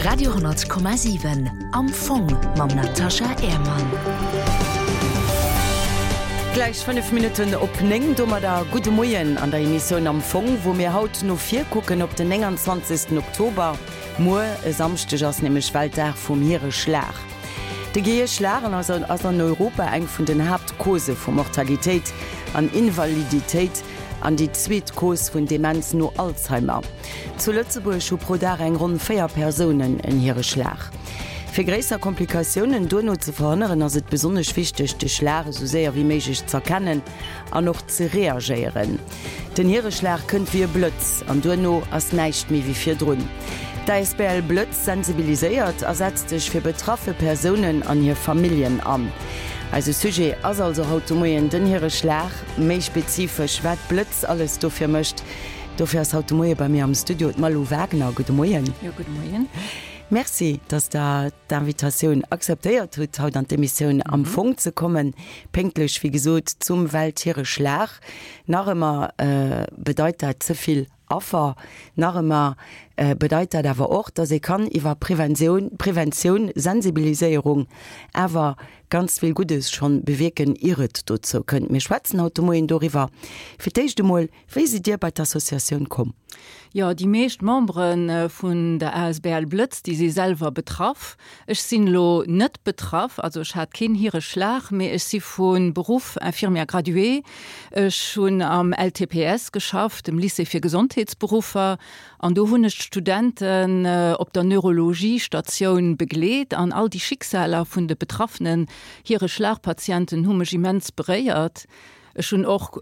Radio,7 Am Fong mam Natascha Ehrmann. Gläich 5 Minutten op 9, domadder gudde Moien an der Emissioun Am Fong, wou mir haut no vir kucken op den 29. Oktober. Muer e Samschdeg ass nämlech Weltdag vum Hiereschlag. De Gehierschlag ass an Europa eng vun den Haaptcausen vu Mortalitéit an Invaliditéit an déi zweet Cause vun Demenz no Alzheimer. Zu Lëtzebuerg hu pro Dag eng ronn 4 Persounen en Hiereschlag. Fir gréisser Komplikatiounen duerno ze verhënneren, ass et besonnesch wichteg, de Schlag esou séier wéi méiglech z'erkennen an och ze reagéieren. Den Hiereschlag kënnt wéi e Blëtz an duerno ass näischt méi wéi virdrun. D'ASBL Blëtz sensibiliséiert a setzt sech fir betraffe Persounen an hir Familljen an. Eise Sujet ass also haut de Moien den Hiereschlag, méi spezifesch wat Blëtz alles dofir mécht. Dofir ass haut de Moie bei mir am Studio d'Malou Wagner. Gudde Moien. Jo, gudde Moien. Merci, dass Der d'Invitatioun akzeptéiert hutt, haut an d'Emissioun Am Fong ze kommen. Pénktlech, wéi gesot, zum Welthiereschlag. Nach ëmmer bedeit dat ze vill Affer. Nach ëmmer bedeit dat awer och, dass ee kann iwwer Preventioun, Preventioun, Sensibiliséierung awer ganz vill Guddes schonn bewierken, ier et dozou kënnt. Mir schwätzen haut de Moien doriwwer. Fir d'éischt emol, Wéi sidd Dir bei d'Associatioun komm? Jo, déi meescht Membere vun der asbl Blëtz, déi si selwer betraff. Ech sinn elo net betraff, also ech hat keen Hireschlag, mee ech si vu Beruff Infirmière graduée. Ech hunn am LTPS geschafft, dem Lycée fir Gesondheetsberuffer, an do hunn ech d'Studenten op der Neurologie-Statioun begleet an all déi Schicksaler vun de betraffenen Hireschlagpatienten hu mech immens beréiert. Ech hunn och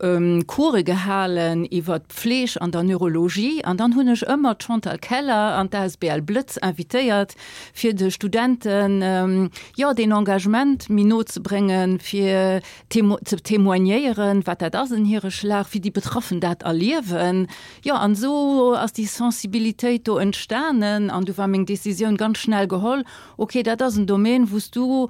Course gehalen iwwer d'Pfleg an der Neurologie an dann hunn ech ëmmer d'Chantal Keller an d'asbl Blëtz invitéiert, fir de Studenten, jo, deen Engagement méi no ze bréngen, fir ze témoignéieren, wat dat ass en Hireschlag, wéi déi Betraffen dat erliewen. Jo, an esou ass déi Sensibilitéit do entstanen an du war meng Décisioun ganz schnell geholl, okay, dat ass en Domaine, wou s du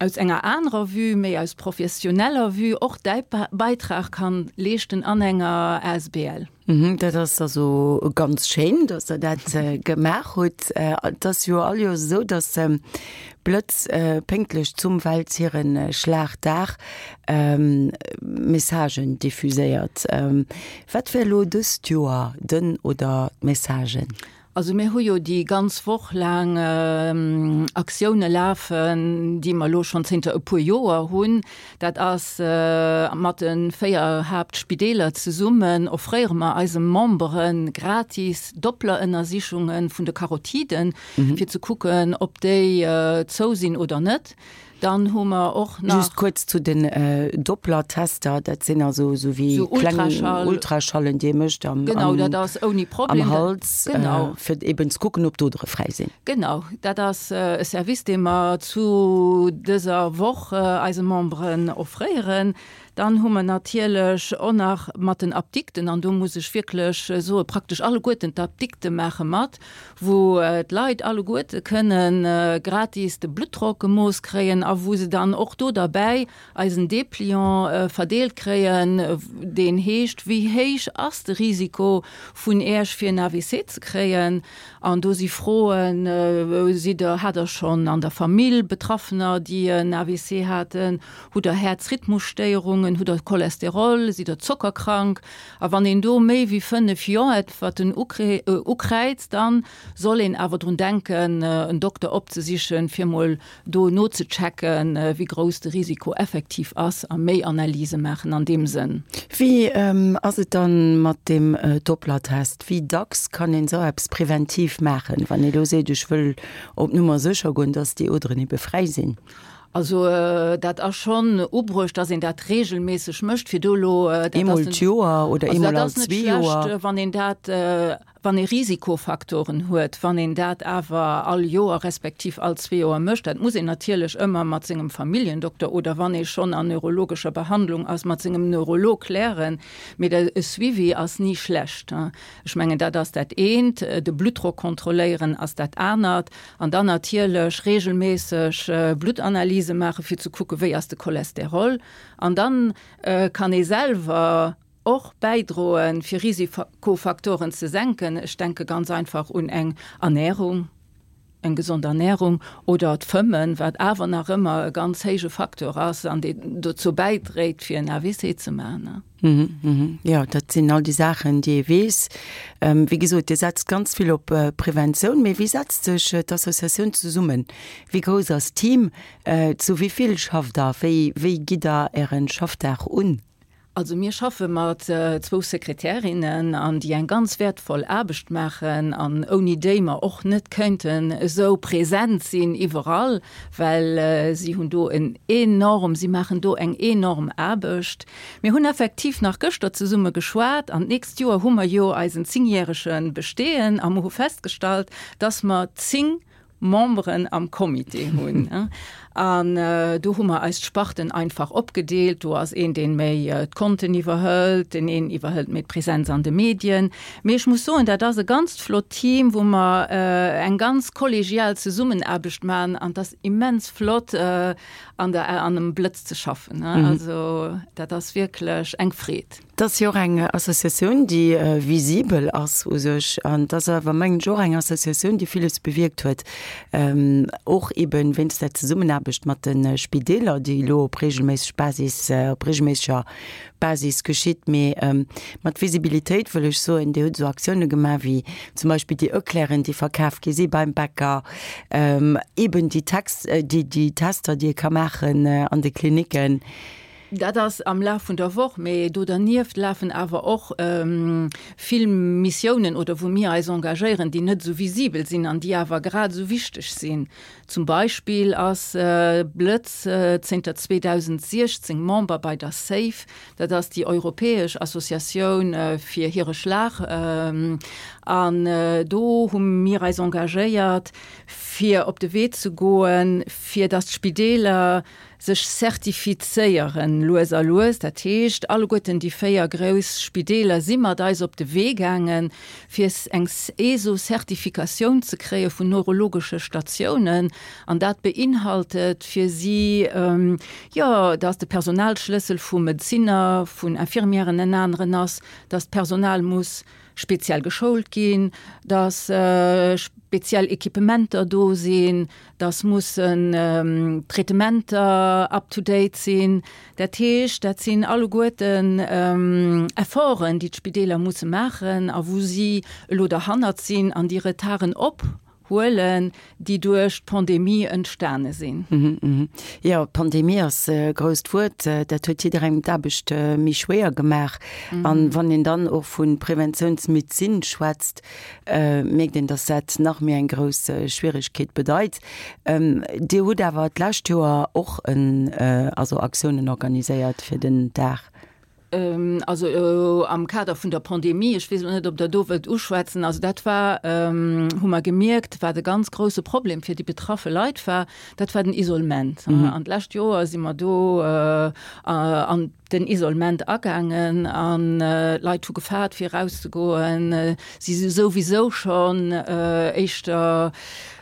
aus enger anerer Vue, méi aus professioneller Vue och däi Beitrag kann leeschten an enger asbl. Dat ass also ganz schéin, dass Der dat gemaach hutt. Et ass jo all Joers esou, dass Blëtz pénktlech zum Welthierenschlagdag Messagen diffuséiert. Wat wär elo dëst Joer den oder d'Messagen? Also mir hu jo déi ganz Woch laang Aktioune lafen, déi mer elo schonn zénter e puer Joer hunn. Dat ass mat de 4 Haaptspideeler zesummen offréiere mer eise Membere gratis Dopplerënnersichunge vun de Karotiden, fir ze kucken, ob déi zou sinn oder net. Dann hu mer och nach. Just kuerz zu den Doppler-Tester, dat sinn also esou wéi kleng Ultraschallen, déi ee mécht am Genau, dat ass ouni Problem. Am Hals, genau. Fir eben ze kucken, ob d'Odere fräi sinn. Genau, dat ass e Service, dee mer zu dëser Woch eise Memberen offréieren. Dann hu mer natierlech och nach mat den Apdikten, an do muss ech wierklech soe praktesch alleguerten d'Apdikte maache mat, wou d'Leit alleguerte kënne gratis de Bluttdrock gemooss kréien a wou se dann och do derbäi eisen Dépliant verdeelt kréien, deen heescht, Wéi héich ass de Risiko vun Iech fir en AVC ze kréien? An do si Froen, Sidd Der, hat Der schonn an der Famill Betraffener, déi en AVC haten? Hutt Der Häerzrhythmusstéierungen? Hutt Der Cholesterol? Sidd Der zockerkrank? A wann een do méi wéi 5 Jo-Äntwerten ukräizt, dann soll een awer drun denken, en Dokter opzesichen, fir mol do nozechecken, wéi grouss de Risiko effektiv ass a méi Analyse maachen an deem Sënn. Wéi ass et dann mat deem Doppler-Test? Wéi dacks kann een esou eppes preventiv maachen, wann ee lo seet, ech wëll op Nummer sécher goen, dass déi Oderen ebe fräi sinn? Also dat ass schonn ubruecht, dass een dat regelméisseg mécht, fir do elo, dat ass Eemol d'Joer oder eemol all zwee Joer? Also dat ass net schlecht, wann een dat, wann ee Risikofaktoren huet, wann een dat awer all Joer respektiv all zwee Joer mécht. Dat muss een natierlech ëmmer mat sengem Familljendokter oder wann ee schonn an neurologescher Behandlung ass, mat sengem Neurolog klären. Mee e Suivi ass ni schlecht. Ech mengen, dat ass dat eent. De Bluttdrock kontrolléieren ass dat anert. An dann natierlech regelméisseg Bluttanalyse maachen, fir ze kucken, wéi ass de Cholesterol. An dann kann ee selwer och bäidroen, fir Risikofaktoren ze senken. Ech denke ganz einfach un eng Ernährung. Eng gesond Ernährung oder d'Fëmmen, wat awer nach ëmmer e ganz héije Facteur ass an deen dozou bäidréit, fir en AVC ze maachen. Jo, dat sinn all déi Saachen, déi ee weess. Wéi gesot, Dir setzt ganz vill op Preventioun. Mee wéi setzt sech d'Associatioun zesummen? Wéi grouss ass d'Team? Zu wéi vill schafft Der? Wéi gitt Der Äre Schaffdag un? Also mir schaffe mat zwou Sekretärinnen an déi eng ganz wäertvoll Aarbecht maachen an ouni déi mer och net kéinten esou present sinn iwwerall, well si hunn do en enorm, si maachen do eng enorm Aarbecht. Mir hunn effektiv nach gëschter zesumme geschwat an d'nächst Joer hu mer jo eisen zéngjärege Bestehen a mer hu festgestallt, dass mer 10 Memberen am Comité hunn. An do hu mer eis d'Sparten einfach opgedeelt. Do ass een, deen méi d'Konten iwwerhëlt, deen een iwwerhëlt méi d'Präsenz an de Medien. Mee ech muss soen, dat ass e ganzt flott Team, wou mer eng ganz kollegial Zesummenaarbecht maachen an et ass immens flott an der an dem Blëtz ze schaffen. Also dat ass wierklech eng Freed. Et ass jo och eng Associatioun, déi visibel ass u sech. An et ass awer, mengen ech, och eng Associatioun, déi villes bewierkt huet, och eeben wéinst der Zesummenaarbecht mat de Spideeler, déi elo op regelméisseg Basis, op regelméisseger Basis geschitt. Mee mat Visibilitéit wëll ech soen, Dir hutt esou Aktioune gemaach wéi zum Beispill déi Eclairen, déi verkaf gi si beim Bäcker, eeben déi Text, déi Tester, déi ee ka maachen an de Klinicken. Dat ass am Laf vun der Woch, mee do dernieft lafen awer och vill Missiounen oder wou mir eis engagéieren, déi net esou visibel sinn an déi awer grad esou wichteg sinn. Zum Beispill ass Blëtz zénter 2016 Member bei der SAFE, dat ass déi europäesch Associatioun fir hire Schlag. An do hu mir eis engagéiert, fir op de Wee ze goen, fir datt d'Spideeler sech zertifizéieren, lues a lues. Dat heescht, alleguerten déi 4 grouss Spideeler si mat eis op de Wee gaangen, fir eng ESO-Zertifikatioun ze kréie vun neurologesche Statiounen. An dat beinhaltet fir si, jo, dass de Personalschlëssel vu Medezinner, vun Infirmièren en aneren ass, dass d'Personal muss speziell geschoult ginn, dass speziell Equipementer do sinn, dass mussen Traitementer up to date sinn. Dat heescht, dat sinn alleguerten Efforten, déi d'Spideeler musse maachen a wou si elo derhannert sinn an déi Retarden ophuelen, déi duerch d'Pandemie entstane sinn. Jo, d'Pandemie ass e grousst Wuert. Dat huet jidderengem d'Aarbecht méi schwéier gemaach. An wann een dann och vu Preventiounsmedezin schwätzt, mierkt een, dass dat nach méi eng grouss Schwieregkeet bedeit. Dir hutt awer d'lescht Joer och en, also Aktiounen organiséiert fir den Dag. Also am Kader vun der Pandemie, ech weess elo net, ob Der do wëllt uschwätzen, also dat war, hu mer gemierkt, wat e ganz grouse Problem fir déi betraffe Leit war, dat war den Isolement. An d'lescht Joer si mer do an den Isolement agaangen an d'Leit hu gefaart fir erauszegoen. Si si souwisou schonn éischter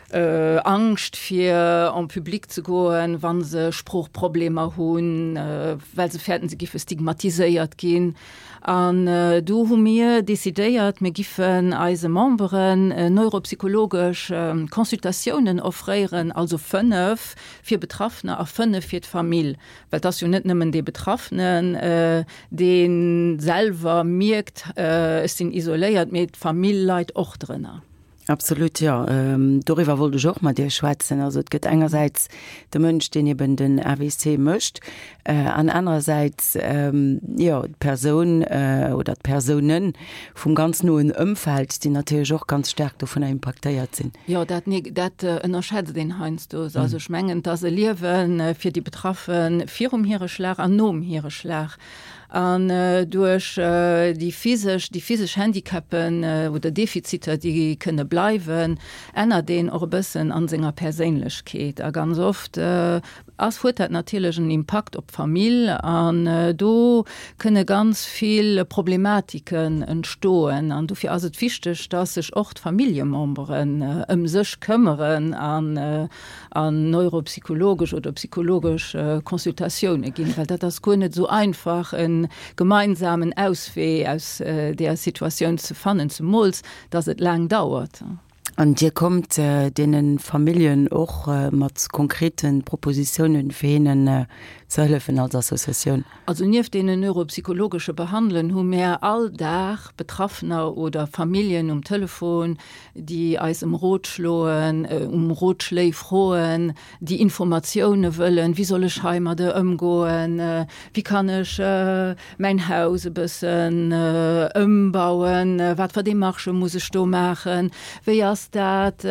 Angscht fir en public ze goen, wa se Sproochproblemer hunn, well se fäerten, se giffe stigmatiséiert ginn. An do hu mir decidéiert, mir giffen eise Memberen neuropsychologesch Consultatiounen offréieren, also 5 fir Betraffener a 5 fir d'Famill. Well et ass jo net nëmmen dee Betraffenen, dee selwer mierkt, ech sinn isoléiert, mee d'Famill leit och drënner. Absolut, jo. Doriwwer wollt ech och mat Iech schwätzen. Also et gëtt engersäits de Mënsch, deen eben den AVC mécht, an anerersäits, jo, d'Persoun oder d'Persounen vum ganz noen Ëmfeld, déi natierlech och ganz staark dovunner impaktéiert sinn. Jo, dat, dat ënnerschätzt een heiansdo. Also ech mengen, et ass e Liewe fir déi Betraffe virum Hiereschlag an nom Hiereschlag. An duerch déi physesch, déi physesch Handicapen oder Defiziter, déi kënne bleiwen, ännert een och e bëssen a senger Perséinlechkeet. A ganz oft ass, huet dat natierlech en Impakt op d'Famill an do kënne ganz vill Problematiken entstoen. An dofir ass et wichteg, dass sech och d'Familljememberen ëm sech këmmeren an an neuropsychologesch oder psychologesch Consultatioune ginn, well dat ass guer net esou einfach e gemeinsamen Auswee aus deeër Situatioun ze fannen, zemools dass et laang dauert. An Dir kommt deene Familljen och mat konkrete Propositiounen, fir hinnen ze hëllefen als Associatioun? Also nieft deenen neuropsychologesche Behandelen hu mär all Dag Betraffener oder Familljen um Telefon, déi eis ëm Rot schloen, um Rotschléi froen, déi Informatioune wëllen, wéi soll ech heimadde ëmgoen, wéi kann ech mäin Haus e bëssen ëmbauen, wat fir Demarchë muss ech do maachen, wéi ass dat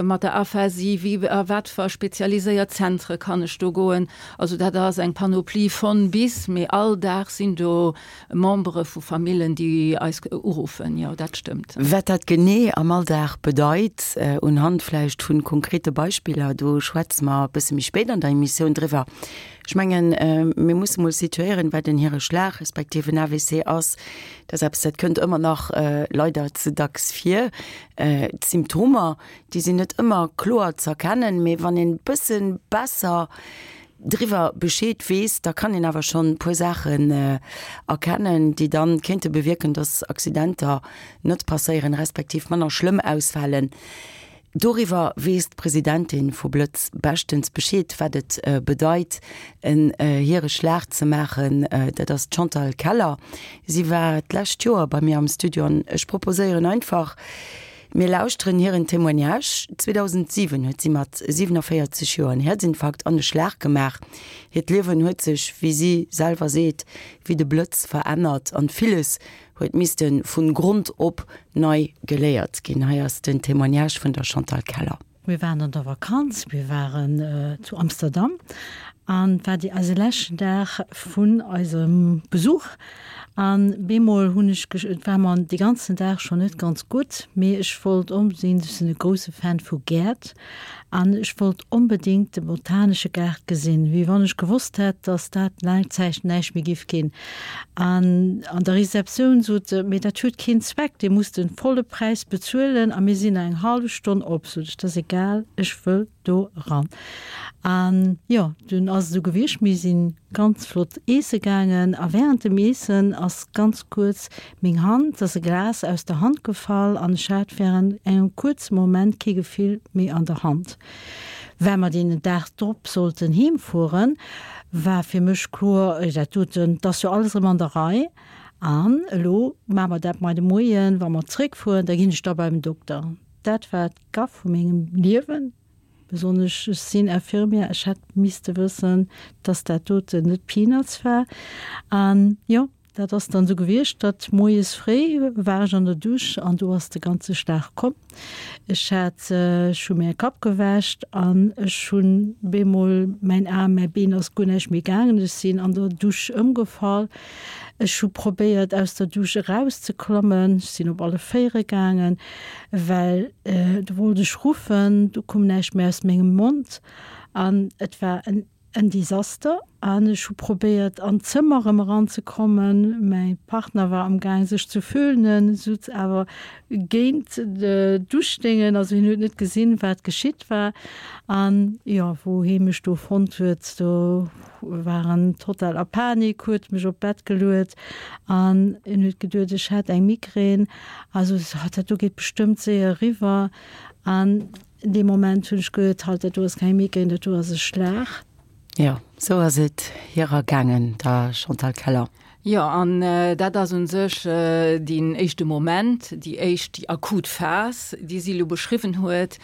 mat der Aphasie, wéi a wat fir spezialiséiert Zentre kann ech do goen. Also dat ass eng Panoplie von bis, mee all Dag sinn do Membere vu Famillen, déi eis uruffen, jo, dat stëmmt. Wat dat genee am Alldag bedeit, unhand vläicht vu konkrete Beispiller, do schwätze mer e bësse méi spéit an der Emissioun driwwer. Ech mengen, mir musse mol situéieren, wat en Hireschlag respektiv en AVC ass. Dat ass eppes, dat kënnt ëmmer nach leider ze dacks vir. D'Symptomer, déi sinn net ëmmer kloer z'erkennen, mee wann een e bësse besser driwwer Bescheed weess, da kann een awer schonn e puer Saachen erkennen, déi dann kéinte bewierken, dass Accidenter net passéieren, respektiv manner schlëmm ausfalen. Doriwwer weess d'Presidentin vu Blëtz beschtens Bescheed, wat et bedeit, en Hireschlag ze maachen. Dat ass d'Chantal Keller. Si war d'lescht Joer bei mir am Studio an ech proposéieren einfach, Mir lauschteren hiren Témoignage. 2007 huet si mat 47 Joer en Häerzinfarkt an e Schlag gemaach. Hiert Liewen huet sech, wéi si selwer seet, wéi de Blëtz verännert an villes huet misste vun Grond op nei geléiert ginn. Hei ass den Témoignage vun der Chantal Keller. Mir waren an der Vakanz, mir waren zu Amsterdam an et war déi eise leschten Dag vun eisem Besuch an bemol hunn ech, et war mer dee ganzen Dag schonn net ganz gutt, mee ech wollt onbedéngt, ech sinn e grousse Fan vu Gäert an ech wollt onbedéngt de botanesche Gaart gesinn, wéi wann ech gewosst hätt, dass dat laang Zäit näischt méi giff ginn. An an der Receptioun sot se, Mee dat huet keen Zweck, Dir musst de volle Präis bezuelen a mir sinn nach eng hallef Stonn op. Sot ech, Dat ass egal, ech wëll do eran. An jo, dunn ass et esou gewiescht, mir si ganz flott eesse gaangen a während dem Eessen ass ganz kuerz meng Hand, ass e Glas aus der Hand gefall an ech hat während engem kuerze Moment kee Gefill méi an der Hand. Well mer deen Dag drop sollten heem fueren, war fir mech kloer, dat doten, 't ass jo alles erëm an der Rei an elo maache mer dat mei de Moien, wa mer zréckfueren, da ginn ech da beim Dokter. Dat war d'Gaff vu mengem Liewen, besonnesch ech sinn Infirmière, ech hätt misste wëssen, dass dat doten net Peanuts war. An jo, Dat ass dann esou gewiescht, datt moies fréi war ech an der Dusch an do ass de ganze Schlag komm. Ech hat, ech hu mir Kapp gewäscht an ech hunn bemol mäin Aarm, mäi Been ass guer näischt méi gaangen. Ech sinn an der Dusch ëmgefall. Ech hu probéiert aus der Dusch erauszeklommen. Ech sinn op alle Véiere gaangen, well do wollt ech ruffen, do koum näischt méi aus mengem Mond an et war en En Desaster an ech hu probéiert an d'Zëmmer erëm eranzekommen. Mäi Partner war am gaang sech ze föhnen, sutz awer géint d'Duschdéngen, also hien huet net gesinn wat geschitt war. An jo, wou hee mech do fonnt huet, do war en total a Panik, huet mech op d'Bett geluet an en huet geduet ech hätt eng Migrän. Also dat do geet bestëmmt séier eriwwer an Dee Moment hunn ech gehuet, halt, dat do ass keng Migraine, dat do ass e Schlag. Jo, sou ass et hir ergaangen, der Chantal Keller. Jo, an dat ass u sech deen éischte Moment, déi éischt, déi akut Phas, déi si elo beschriwwen huet.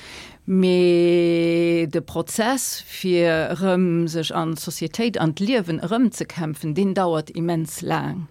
Mee de Prozess, fir erëm sech an d'Societéit, an d'Liewen erëmzekämpfen, deen dauert immens laang.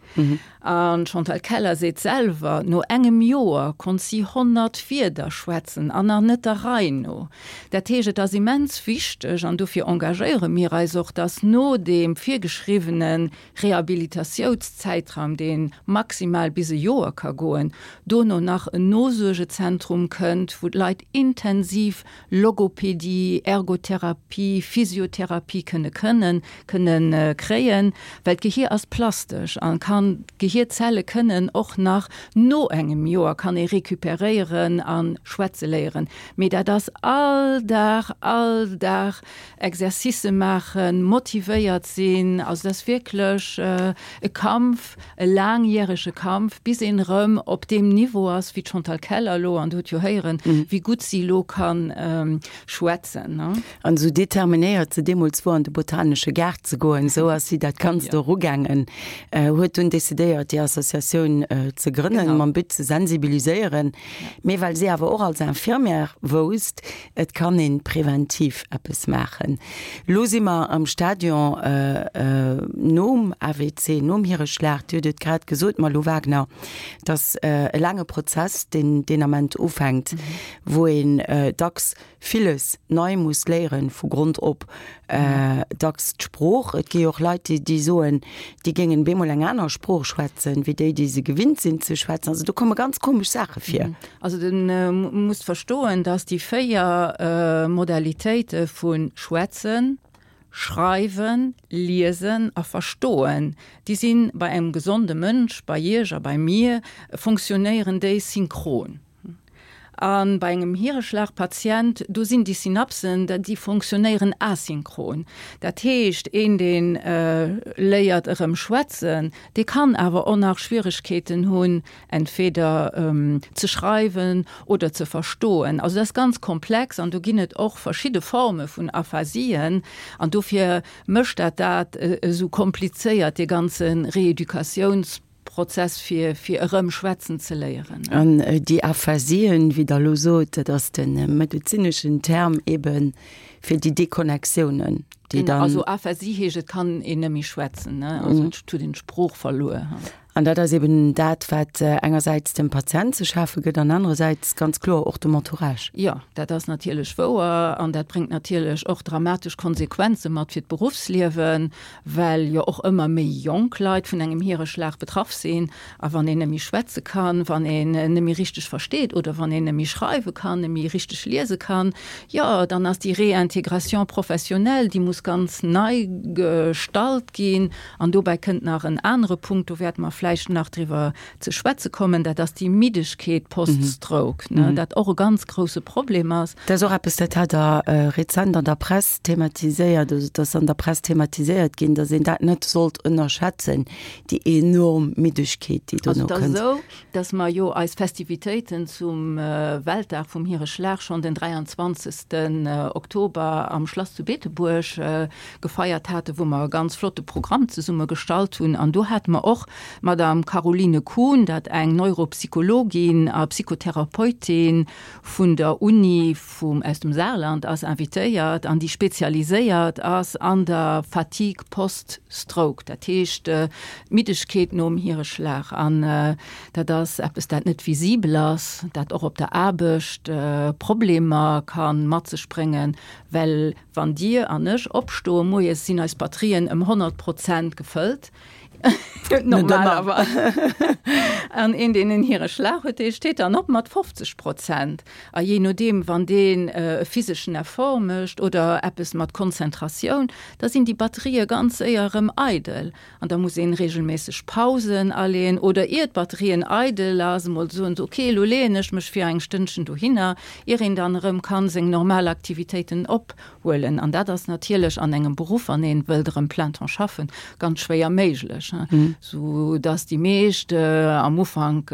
An d'Chantal Keller seet selwer, no engem Joer konnt si 100 Wierder schwätzen an nach net der Rei no. Dat heescht, et ass immens wichteg, an dofir engagéiere mir eis och, dass no deem virgeschriwwene Rehabilitatioutszäitraum, dee maximal bis e Joer ka goen, dono nach en Nosuergezentrum kënnt, wou d'Leit intensiv Logopedie, Ergotherapie, Physiotherapie kënne kënnen kënne kréien, well d'Gehier ass plastesch an kann d'Gehier. Déi Hierzelle kënnen och nach no engem Joer kann ee recuperéieren a schwätze léieren. Mee dat ass all Dag, all Dag Exercicë maachen, motivéiert sinn. Also dat ass wierklech e Kampf, e laangjärege Kampf, bis een erëm op deem Niveau ass wéi d'Chantal Keller elo, an Der hutt jo héieren, wéi gutt si elo ka schwätzen. An esou determinéiert se deemools wor an de botanesche Gaart ze goen, esou ass si dat Ganzt och ugaangen, huet dunn decidéiert déi Associatioun ze grënnen, mam But ze sensibiliséieren, mee well si awer och als Infirmière wousst, et kann ee preventiv eppes maachen. Lo si mer am Stadion nom AVC, nom Hireschlag, Dir hutt et grad gesot, Malou Wagner, et ass e laange Prozess, deen deen Ament ufänkt, wou een dacks villes nei muss léieren, vu Grond op, dacks d'Sprooch. Et gi jo och Leit, déi, déi soen, déi géingen bemol eng aner Sprooch schwätzen, wéi déi, déi se gewinnt sinn ze schwätzen. Also do komme ganz komesch Saache vir. Also de musst verstoen, dass déi 4 Modalitéite vu schwätzen, schreiwen, liesen a verstoen, déi si bei engem gesonde Mënsch, bei Iech a bei mir, fonctionnéieren déi synchron. A bei engem Hireschlagpatient, do sinn déi Synapsen, déi fonctionnéieren asynchron. Dat heescht, een, dee léiert erëm schwätzen, dee kann awer och nach Schwieregkeeten hunn, entweder ze schreiwen oder ze verstoen. Also dat ass ganz komplex an do ginn et och verschidde Forme vun Aphasien. An dofir mécht dat dat esou komplizéiert, dee ganze Reeducatiouns. Prozess fir fir erëm schwätzen ze léieren. An déi Aphasien, wéi Der elo sot, dat ass de medezineschen Term ebe fir déi Deconnectiounen, déi dann. Also Aphasie heescht, et kann een net méi schwätzen, ne? Also et huet een d'Sprooch verluer. An dat ass eben dat, wat engersäits dem Patient ze schafe gëtt an anerersäits ganz kloer och dem Entourage. Jo, dat ass natierlech wouer an dat bréngt natierlech och dramatesch Konsequenze mat fir d'Beruffsliewen, well jo och ëmmer méi jonk Leit vun engem Hiereschlag betraff sinn. A wann een net méi schwätze kann, wann een net méi richteg versteet oder wann een net méi schreiwe kann, net méi richteg liese kann, jo, dann ass déi Réintégration professionnelle, déi muss ganz nei gestallt ginn. An dobäi kënnt nach en anere Punkt, do wäerte mer vläicht nach driwwer ze schwätze kommen, dat ass déi Middegkeet post-stroke, dat och e ganz grouse Problem ass. Dat ass och eppes, dat hat Der rezent an der Press thematiséiert, also et ass an der Press thematiséiert ginn, datt een dat net sollt ënnerschätzen, déi enorm Middegkeet, déi dono kënnt. Also et ass esou, datt mer jo eis Festivitéiten zum Weltdag vum Hireschlag schonn den 23. Oktober am Schlass zu Beetebuerg gefeiert haten, wou mer e ganz flotte Programm zesumme gestallt hunn. An do hate mer och d'Madame Caroline Kuhn, dat eng Neuropsychologin a Psychotherapeutin vun der Uni vum aus dem Saarland ass, invitéiert an déi spezialiséiert ass an der Fatigue post-stroke, dat heescht d'Middegkeet nom Hireschlag. An dat ass eppes, dat net visibel ass, dat och op der Aarbecht Problemer ka mat sech bréngen, well wann Dir an ech opstoe moies, sinn eis Batterien ëm 100 Prozent gefëllt. Normalerweis. An een, deen en Hireschlag huet, dee steet dann op mat 50 Prozent. A jee nodeem, wann deen e physeschen Effort mécht oder eppes mat Konzentratioun, da sinn déi Batterië ganz séier erëm eidel. An da muss een reegelméisseg Pausen aleeën oder ier d'Batterien eidel ass, emol soen, ok, elo leeën ech mech fir eng Stënnchen dohinner, ier een dann erëm kann seng normal Aktivitéiten op Huelen. An dat ass natierlech an engem Beruff, wann ee wëllt erëm plein temps schaffen, ganz schwéier méiglech, sou dass déi meescht am Ufank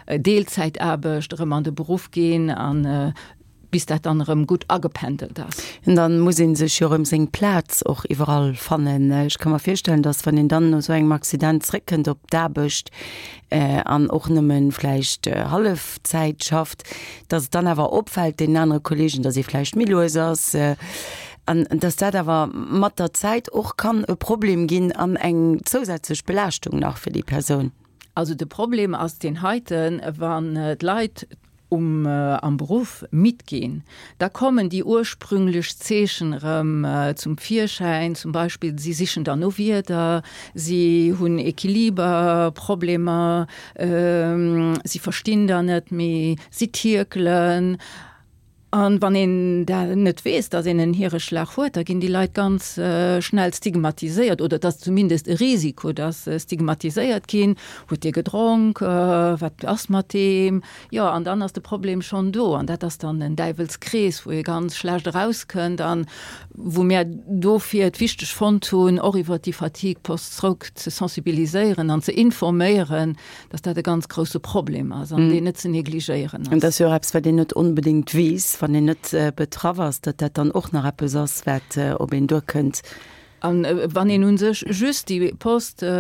Deelzäitaarbecht erëm an de Beruff ginn an bis dat dann erëm gutt agependelt ass. An dann muss ee sech jo erëm seng Plaz och iwwerall fannen. Ech ka mer virstellen, dass wann een dann no esou engem Accident zréckkënnt op d'Aarbecht an och nëmme vläicht Hallefzäit schafft, dass et dann awer opfält deenen anere Kollegen, dass ee vläicht méi lues ass an dass dat awer mat der Zäit och kann e Problem ginn an eng zousätzlech Belaaschtung nach fir déi Persoun. Also de Problem ass deen heiten, wann d'Leit um am Beruff midd ginn, da kommen déi ursprünglech Zeechen erëm zum Virschäin, zum Beispill si sichen dann no Wierder, si hunn An wann een dat net weess, datt een en Hiereschlag huet, da ginn déi Leit ganz schnell stigmatiséiert, oder et ass zumindest e Risiko, datt se stigmatiséiert ginn, Huet dee gedronk? Wat ass mat deem? Jo, an dann ass de Problem schonn do. An dat ass dann en Däiwelskrees, wou ee ganz schlecht erauskënnt an wou mär dofir et wichteg fonnt hunn, och iwwert déi Fatigue post-stroke ze sensibiliséieren an ze informéieren, dass dat e ganz grousse Problem ass an deen net ze negligéieren ass. An dat ass jo och eppes, wat een net onbedéngt weess, wann een net betraff ass, datt dat dann och nach eppes ass, wat op een duerkënnt. A wann een u sech just déi Post-stroke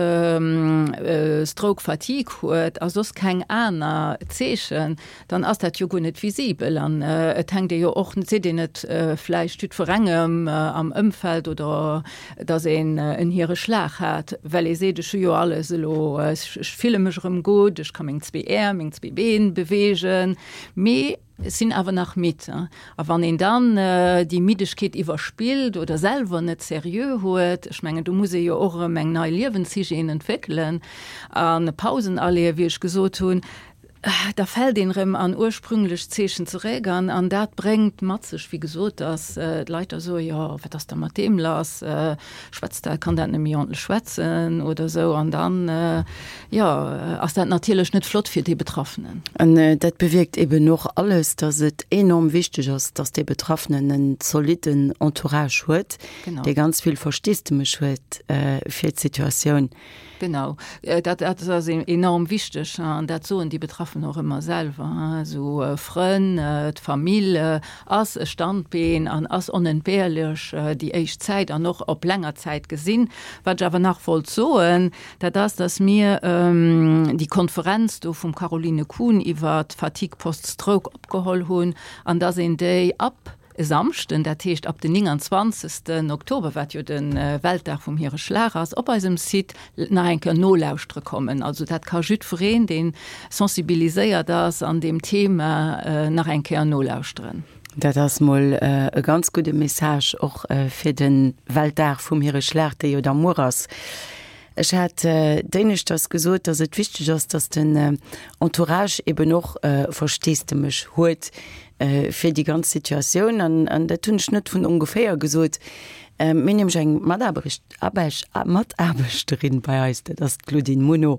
fatigue huet a soss keng aner Zeechen, dann ass dat jo guer net visibel an et hänkt ee jo och, seet een et vläicht jiddwerengem am Ëmfeld oder dass een en Hiereschlag hat, well ee seet, ech hu jo alles elo, ech fille mech erëm gutt, ech ka meng zwee Äerm, meng zwee Been beweegen, mee ech sinn awer nach midd. A wann een dann déi Middegkeet iwwerspillt oder selwer net seriö huet, ech mengen, do muss ee jo och erëm eng nei Liewenshygiène entwéckelen a Pausen aleeën, wéi ech gesot hunn, Da fält een erëm an ursprünglech Zeechen zeréck an an dat bréngt mat sech, wéi gesot, datt d'Leit da soen, jo wat ass da mat deem lass, schwätzt dat, kann dat net méi ordentlech schwätzen oder esou an dann, jo, ass dat natierlech net flott fir dee Betraffenen. An dat bewierkt eben och alles, datt et enorm wichteg ass, datt dee Betraffenen en zolitten Entourage huet, dee ganz vill Versteesdemech huet fir d'Situatioun. Genau, dat ass enorm wichteg an dat soen déi Betraffen och ëmmer selwer. Esou Frënn, d'Famill ass e Standbeen an ass onentbehrlech déi éischt Zäit an och op länger Zäit gesinn. Wat ech awer nach wollt soen, dat ass, datt mir déi Konferenz do vum Caroline Kuhn iwwer d'Fatigue post-stroke opgeholl hunn an datt een déi ab E Samschden, dat heescht ab den 29. Oktober, wat jo de Weltdag vum Hiereschlag ass, op eisem Site nach eng Kéier nolauschtere kommen. Also dat ka jiddwereen, dee sensibiliséiert ass an deem Thema, nach eng Kéier nolauschteren. Dat ass mol e ganz gudde Message och fir de Weltdag vum Hiereschlag, dee jo da muer ass. Ech hat d'éineschters gesot, dass et wichteg ass, dass den Entourage eben och Versteesdemech huet fir déi ganz Situatioun. An dat hunn ech net vun ongeféier gesot. Mir hunn nämlech eng Mataarbechterin bei eis, dat ass d'Claudine Muno,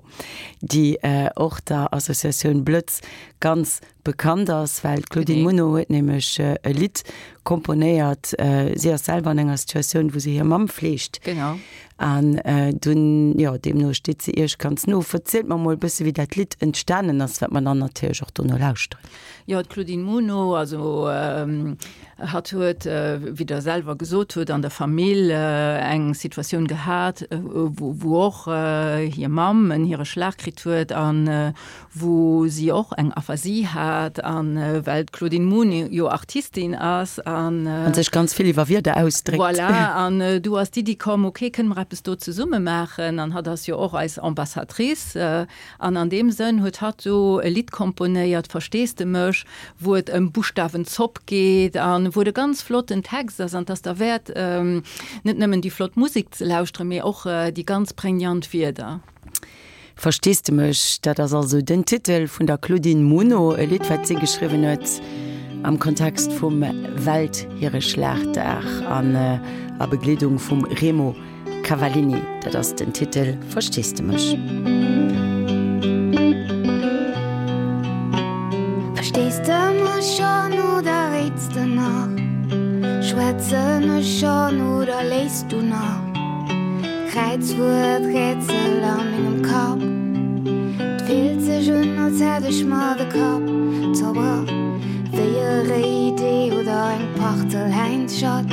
déi och der Associatioun Blëtz ganz bekannt ass, well d'Claudine Muno huet nämlech e Lidd komponéiert. Si ass selwer an enger Situatioun, wou se hir Mamm fleegt. Genau. An dunn, jo, deemno steet se Iech ganz no. Verzielt mer mol e bësse wéi dat Lidd entstanen ass, wat mer dann natierlech och dono lauschteren. Jo, d'Claudine Muno, also hatt huet, wéi Der selwer gesot hutt, an der Famill eng Situatioun gehat, wou och hir Mamm en hire Schlag kritt huet an wou si och eng Aphasie hat an well d'Claudine Muno jo Artistin ass an. An sech ganz vill iwwer Wierder ausdréckt. Voilà, an du ass d'Iddi komm, ok, kënne mer eppes do zesumme maachen an hatt ass jo och eis Ambassadrice an an deem Sënn huet hatt do e Lidd komponéiert, Verstees de mech, wou et ëm Buschtawenzopp geet an wou et e ganz flotten Text ass an 't ass derwäert net nëmmen déi flott Musek ze lauschteren, mee och déi ganz prägnant Wierder. Verstees de mech? Dat ass also den Titel vun der Claudine Muno, e Lidd, wat si geschriwwen huet am Kontext vum Welthiereschlagdag an a Begleedung vum Remo Cavallini. Dat ass den Titel Verstees de mech? Verstees de mech schonn oder réits de nach? Schwätzen ech schonn oder léiss du nach? Kräizwuert Rätsel a mengem Kapp 't fillt sech un als hätt ech mer de Kapp zerbrach Wéi e réit Ee oder eng Partel Häinzschat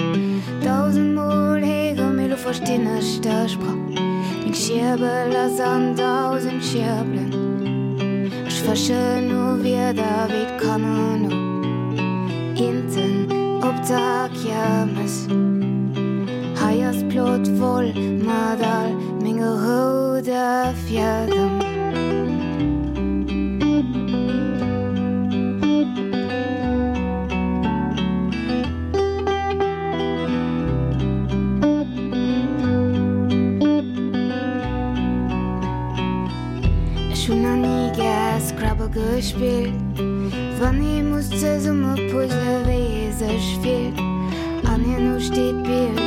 Dausendmol héiere mee lo verstinn ech dech Sprach Meng Schierbel ass an dausend Schierbelen Ech fëschen no Wierder wéi d'Kanner no Inten op der Kiermes. Hei ass d'Plot voll mat all menge roude Fiedem. Ech hunn nach ni gär Scrabble gespillt. Wann ee muss zesumme puzzle wéi ee. ee sech fillt an hierno steet d'Bild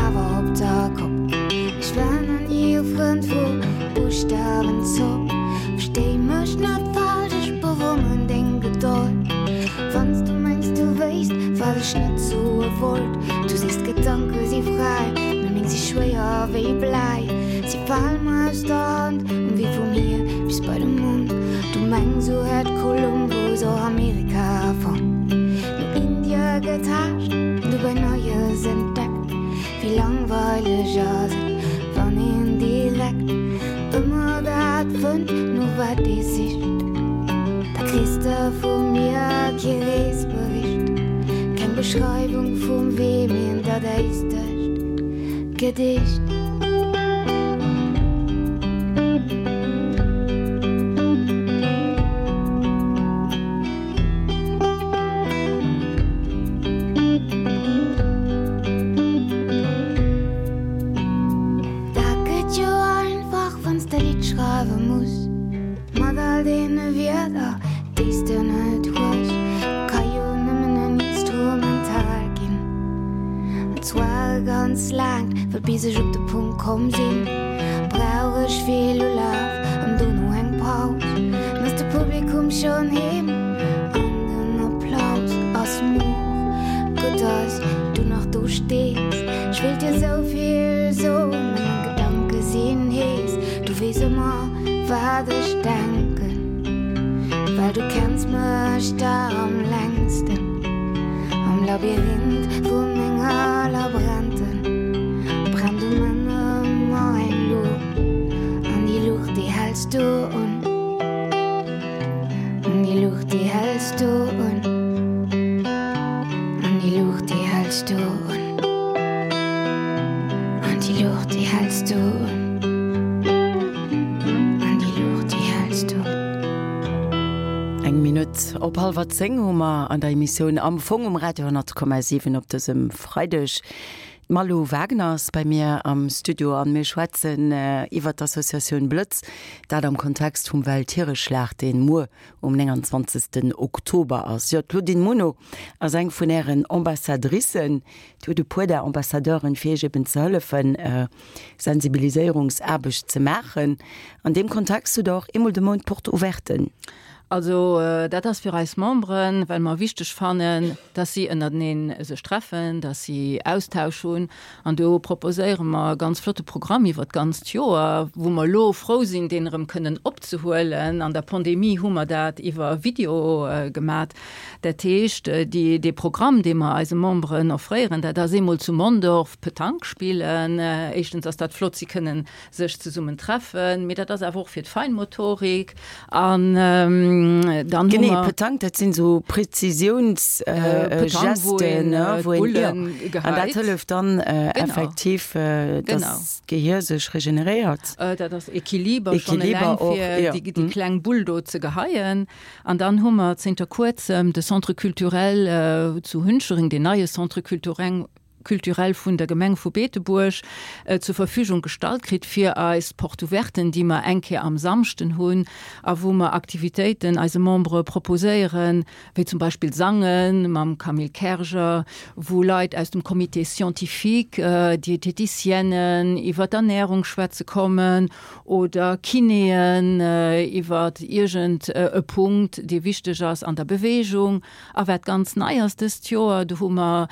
awer op der Kopp. Ech war nach ni e Frënd vu Buschtawenzopp. Verstéi mech net falsch, ech bewonneren deng Gedold. Wann s du mengs du wéisst wat ech net soe wollt. Du sees d'Gedanke si fräi, mee meng si schwéier wéi Bläi. Si fale mer aus der Hand um Wee vum Hier bis bei de Mond. Du mengs sou hätt Kolumbus och Amerika fonnt, no Indie getaascht, dobäi Neies entdeckt. Wéi langweileg ass et, wann een direkt ëmmer dat fënnt, no wat ee sicht. Da kriss de vu mir kee Reesbericht, keng Beschreiwung vum Wee, mee en dadaistescht Gedicht. Dat gëtt jo einfach, wann s de Lidd schreiwe muss. Mat all deene Wierder, déi s de net hues. Ka jo nëmmen en Instrumental ginn. An zwar e ganz laangt, well bis ech op de Punkt komm sinn, brauch ech vill Ulaf an dono eng Paus. Dann ass de Publikum schonn heem an den Applaus ass moer. Gutt, dass du nach do stees. Ech wéilt dir sou vill soen, mä meng Gedanke sinn hees. Du weess ëmmer. Wat ech denken, well du kenns mech der am längsten. Am Labyrinth vu menger Labränten brennt um Enn ëmmer eng Luucht, an déi Luucht, déi häls du un. An déi Luucht, déi häls du un. An déi Luucht, déi häls du un. An déi Luucht, déi häls du un. An déi Luucht, déi häls du. Eng Minutt op hallwer 10 hu mer an der Emissioun Am Fong um Radio 10,7 op dësem Freideg. D'Malou Wagner ass bei mir am Studio an mir schwätzen iwwer d'Associatioun Blëtz, dat am Kontext vum Welthiereschlag, deen muer um 29 Oktober ass. Jo, d'Claudine Muno ass eng vun Ären Ambassadricen. Dir hutt e puer där Ambassadeuren, fir Iech eben ze hëllefen, Sensibiliséierungsaarbecht ze maachen. An deem Kontext hutt Der och eemol de Mount Porte ouverten. Also dat ass fir eis Memberen, well mer wichteg fannen, dass si ënnerteneen sech treffen, dass si Austausch hunn. An do proposéiere mer e ganz flotte Programm iwwert d'ganzt Joer, wou mer elo frou sinn, deen erëm kënnen opzehuelen. An der Pandemie hu mer dat iwwer Video gemat. Dat heescht, déi, dee Programm, dee mer eise Memberen offréieren, dat ass eemol zu Mondorf Petanque spillen. Éischtens ass dat flott, si kënnen sech zesummen treffen, mee dat ass awer och fir d'Feinmotorik an dann hu mer. Petanque, dat sinn esou Präzisiounsgesten, wou een d'Bullen geheit. An dat hëlleft dann effektiv, dass d'Gehier sech regeneréiert. Dat ass Equiliber schonn eleng fir déi kleng Bull do ze geheien. An dann hu mer zënter kuerzem de Centre culturel zu Hunchereng, deen neie Centre culturel, culturel vun der Gemeng vu Beetebuerg zur Verfügung gestallt kritt fir eis Porte ouverten, déi mer eng Kéier am Samschden hunn a wou mer Aktivitéiten eise Membere proposéieren, wéi zum Beispill Sange mam Camille Kerger, wou Leit aus dem Comité scientifique, Dieteticienen iwwer d'Ernährung schwätze kommen oder Kinéen iwwer iergend e Punkt, dee wichteg ass an der Bewegung. A wat ganz nei ass dëst Joer, do hu mer,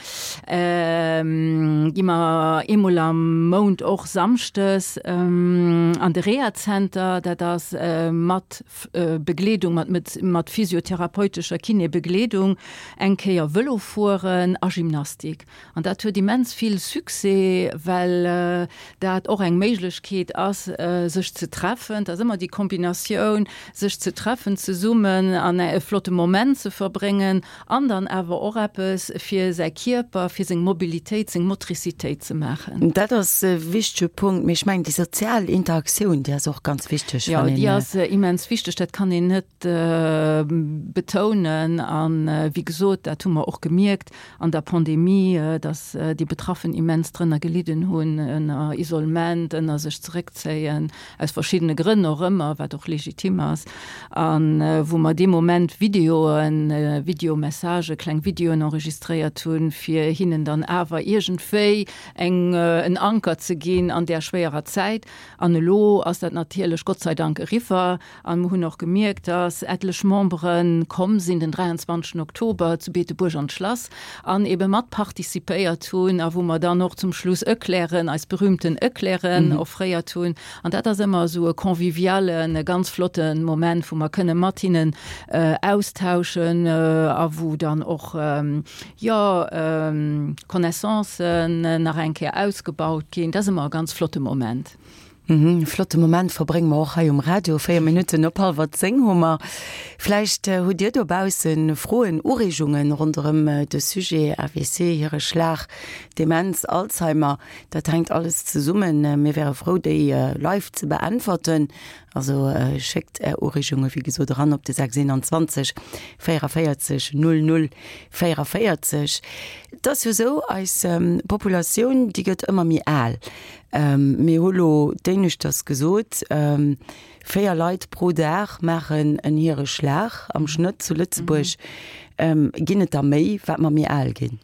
gi mer eemol am Mount och samschdes an de Rehazenter, dat ass mat Begleedung, mat mat physiotherapeutescher Kinébegleedung, eng Kéier Vëlo fueren a Gymnastik. An dat huet immens vill Succès, well dat och eng Méiglechkeet ass, sech ze treffen. Et ass ëmmer déi Kombinatioun, sech ze treffen zesummen an e flotte Moment ze verbréngen an dann awer och eppes fir säi Kierper, fir seng Mobilitéit. Mobilitéit, seng Motricitéit ze maachen. Dat ass e wichtege Punkt, mee ech mengen déi sozial Interaktioun, déi ass och ganz wichteg. Jo, déi ass immens wichteg, dat kann een net betounen. A wéi gesot, dat hu mer och gemierkt an der Pandemie, datt déi Betraffen immens drënner gelidden hunn, ënner Isolement, ënner sech zeréckzéien, aus verschiddene Grënn och ëmmer, wat och legitim ass, a wou mer dee Moment Videoen, Videomessagen, kleng Videoen enregistréiert hunn, fir hinnen dann awer iergendwéi eng, en Anker ze ginn an där schwéierer Zäit. An elo ass dat natierlech Gott sei Dank eriwwer. A mer hunn och gemierkt, dass etlech Membere komm sinn den 23 Oktober zu Beetebuerg an d'Schlass an ebe mat participéiert hunn a wou mer dann och zum Schluss Eclairen, eis berühmten Eclairen offréiert hunn. An dat ass ëmmer esou e convivialen, e ganz flotte Moment, wou mer kënne mat hinnen austauschen a wou dann och, jo, Connaissancen nach eng Kéier ausgebaut ginn. Dat ass ëmmer e ganz flotte Moment. E flotte Moment verbrénge mer och hei um Radio. 4 Minutten op hallwer 10 hu mer. Vläicht hutt Dir dobausse Froen, Ureegungen ronderëm de Sujet AVC, Hireschlag, Demenz, Alzheimer. Dat hänkt alles zesummen. Mir wäre frou, déi live ze beäntwerten. Also schéckt Är Ureegunge wéi gesot eran op de 621 44 00 44. Et ass jo esou, eis Populatioun, déi gëtt ëmmer méi al. Mir hu lo d'éineschters gesot, 4 Leit pro Dag maachen en Hireschlag am Schnëtt zu Lëtzebuerg. Ginn et der méi, wat mer méi al ginn?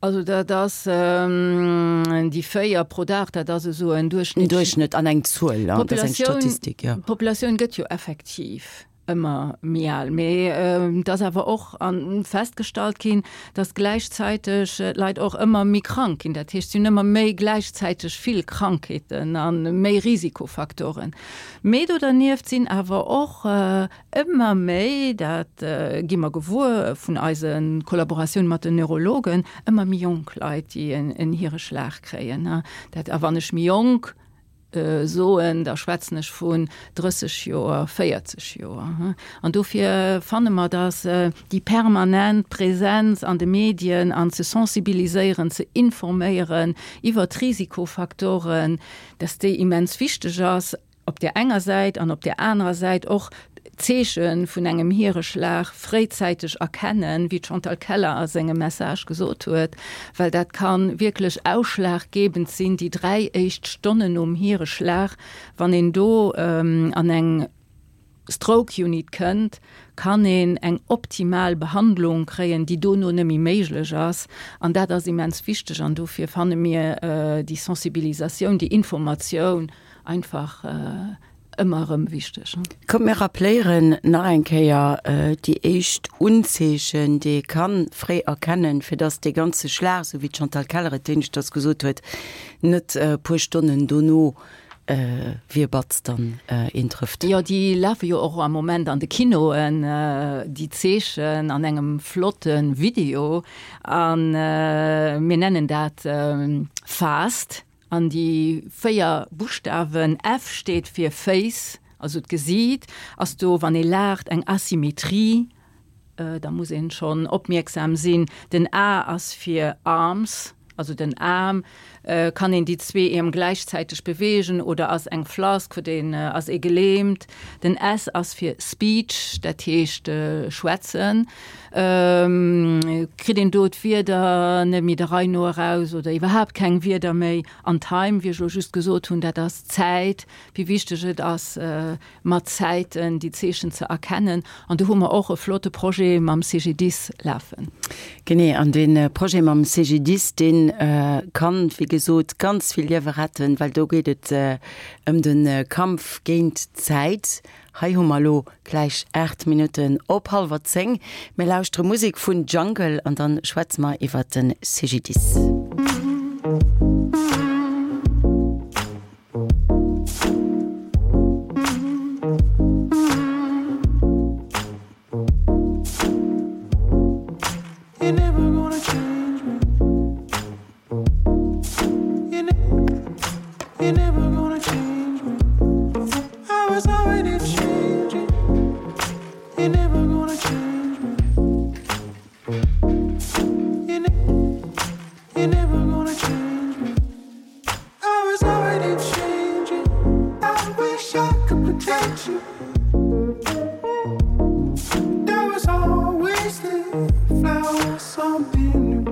Also dat ass déi 4 pro Dag, dat ass esou en Duerchschnëtt. En Duerchschnëtt an eng Zuel, dat ass eng Statistik, jo. D'Populatioun gëtt jo effektiv ëmmer méi al. Mee et ass awer och festgestallt ginn, datt gläichzäiteg d'Leit och ëmmer méi krank ginn. Dat heescht, si hunn ëmmer méi gläichzäiteg vill Krankheeten a méi Risikofaktoren. Mee do dernieft sinn awer och ëmmer méi, dat gi mer gewuer vun eise Kollaboratioun mat den Neurologen, ëmmer méi jonk Leit, déi en Hireschlag kréien. Dat, a wann ech méi jonk soen, da schwätzen ech vun 30 Joer, 40 Joer. An dofir fanne mer, dass déi permanent Präsenz an de Medien an ze sensibiliséieren, ze informéieren iwwert d'Risikofaktoren, dass déi immens wichteg ass op där enger Säit an op där anerer Säit och d'Zeeche vun engem Hireschlag fréizäiteg erkennen, wéi d'Chantal Keller a sengem Message gesot huet, well dat ka wierklech ausschlaggebend sinn, déi 3 éischt Stonnen nom Hireschlag, wann een do an eng Stroke Unit kënnt, kann een eng optimal Behandlung kréien, déi dono net méi méiglech ass. An dat ass immens wichteg an dofir fanne mir déi Sensibilisatioun, déi Informatioun einfach ëmmer erëm wichteg. Kommt mir rappléieren nach eng Kéier déi éischt Unzeechen, déi ee ka fréi erkennen, fir dass dee ganze Schlag, esou wéi d'Chantal Keller et éineschters gesot huet, net e puer Stonnen dono wéi e Batz dann een trëfft. Jo, déi lafe jo och am Moment an de Kinoen, déi Zeechen, an engem flotte Video. A mir nennen dat FAST. An déi 4 Buschtawen, F steet fir Face, also d'Gesiit, ass do, wann ee laacht, eng Asymmetrie, da muss een schonn opmierksam sinn. Den A ass fir Arms, also den Aarm, kann een déi zwee Äerm gläichzäiteg beweegen oder ass eng Flask, huet een, ass ee gelähmt. Den S ass fir Speech, dat heescht schwätzen. Kritt een do d'Wierder net méi der Rei no eraus oder iwwerhaapt keng Wierder méi? An Time, wéi ech elo just gesot hunn, dat ass d'Zäit, wéi wichteg et ass, mat Zäiten déi Zeechen ze erkennen. An do hu mer och e flotte Projet mam CGDIS lafen. Genee, an dee Projet mam CGDIS, dee kann, wéi gesot, ganz vill Liewe retten, well do geet et ëm de Kampf géint d'Zäit. Hei hu mer elo gläich 8 Minutten op hallwer 10. Mir lauschtere Musek vun Jungle an dann schwätze mer iwwert de CGDIS. You're never gonna change me. I was already changing. I wish I could protect you. There was always the flower, something new.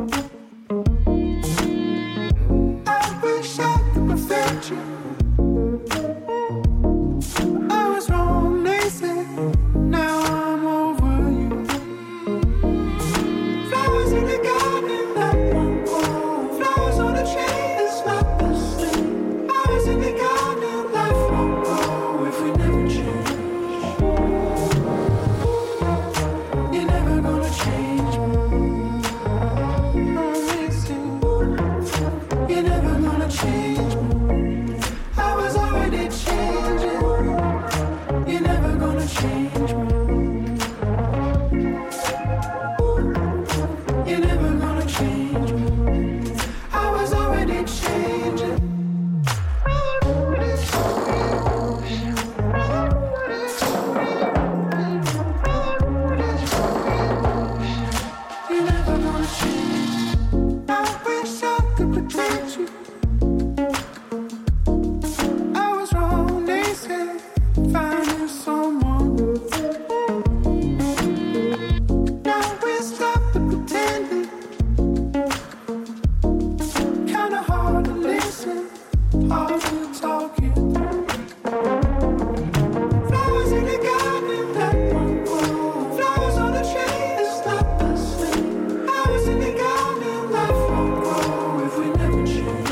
I wish I could perfect you. I was wrong, they said. Now I'm over you. Flowers in the garden that won't grow. Flowers on a tree, it's not the same. Flowers in the garden, life won't grow if we never change. You're never gonna change me. I'm missing. You're never gonna change me. I was already changing. You're never gonna change me. You're never gonna change me. I was already changing. You're never gonna change. I wish I could protect you. I was wrong, they said. Finding someone. Now we stop the pretending. Kinda hard to listen, hard to talk it through. Flowers in the garden that won't grow. Flowers on the tree, it's not the same. Flowers in the garden, life won't grow if we never change.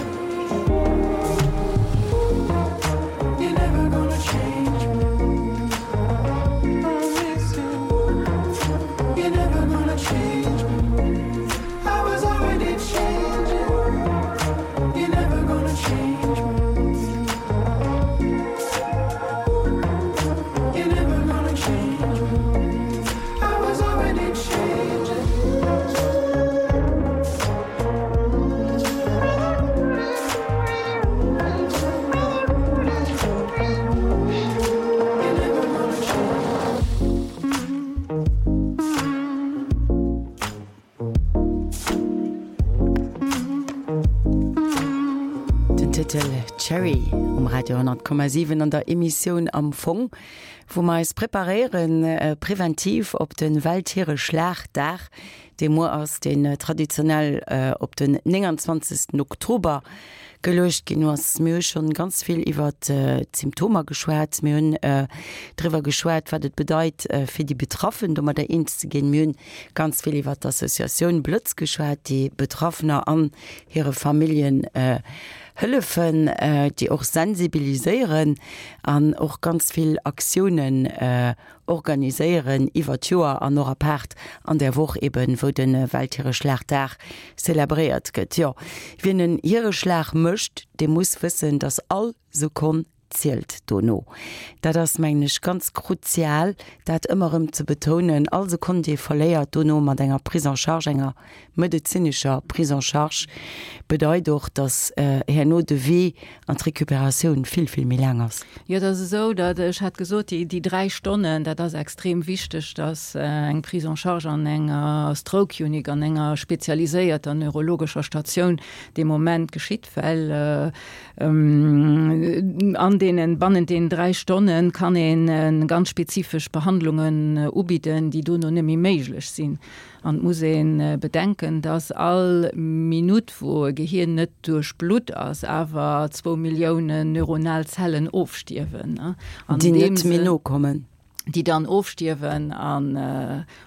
You're never gonna change me. I'm missing. You're never gonna change me. I was already changing. You're never gonna change me. You're never gonna change me. I was already changing. You're never gonna change. Den Titel Cherry um Radio 10,7 an der Emissioun Am Fong, wou mer eis preparéieren präventiv op de Welthiereschlagdag, dee muer ass, deen traditionell op den 29. Oktober geluecht ginn ass. Mir hu schonn ganz vill iwwert d'Symptomer geschwat. Mir hunn driwwer geschwat, wat et bedeit, fir déi Betraffen domadder eens ze ginn. Mir hunn ganz vill iwwert d'Associatioun Blëtz geschwat, déi Betraffener an hire Familljen hëllefen, déi och sensibiliséieren an och ganz vill Aktiounen organiséieren iwwer d'Joer an och apaart an där Woch eben, wou de Welthiereschlagdag zelebréiert gëtt. Jo, wien en Hiereschlag mécht, dee muss wëssen, dass all Sekonn zielt dono. Dat ass, mengen ech, ganz kruzial, dat ëmmer erëm ze betounen. All Sekonn, déi ee verléiert dono mat enger Prise en charge, enger medezinescher Prise en charge, bedeit och, dass herno de Wee an d'Recuperatioun vill, vill méi laang ass. Jo, et ass esou, datt, ech hat gesot, déi, déi dräi Stonnen, dat ass extrem wichteg, datt eng Prise en charge an enger Stroke Unit, an enger spezialiséierter neurologescher Statioun dee Moment geschitt, well an deenen, bannent deenen dräi Stonne kann ee ganz spezifesch Behandlungen ubidden, déi dono net méi méiglech sinn. An et muss ee bedenken, dass all Minutt, wou e Gehir net duerchblutt ass, awer zwou Milliounen neuronal Zellen ofstierwen. An déi net méi nokommen. Déi dann ofstierwen. A